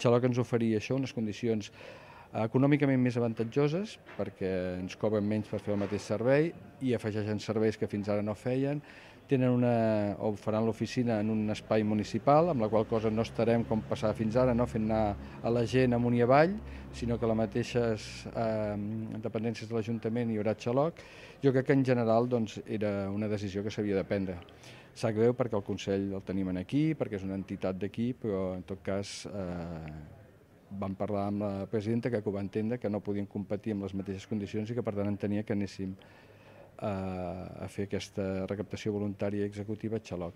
Xaloc ens oferia això, unes condicions econòmicament més avantatjoses perquè ens cobren menys per fer el mateix servei i afegeixen serveis que fins ara no feien. Tenen o faran l'oficina en un espai municipal, amb la qual cosa no estarem com passava fins ara, no fent anar a la gent amunt i avall, sinó que a les mateixes dependències de l'Ajuntament hi haurà xaloc. Jo crec que en general era una decisió que s'havia de prendre. Sap greu perquè el Consell el tenim aquí, perquè és una entitat d'aquí, però en tot cas vam parlar amb la presidenta que ho va entendre, que no podien competir amb les mateixes condicions i que per tant entenia que anéssim a fer aquesta recaptació voluntària executiva a xaloc.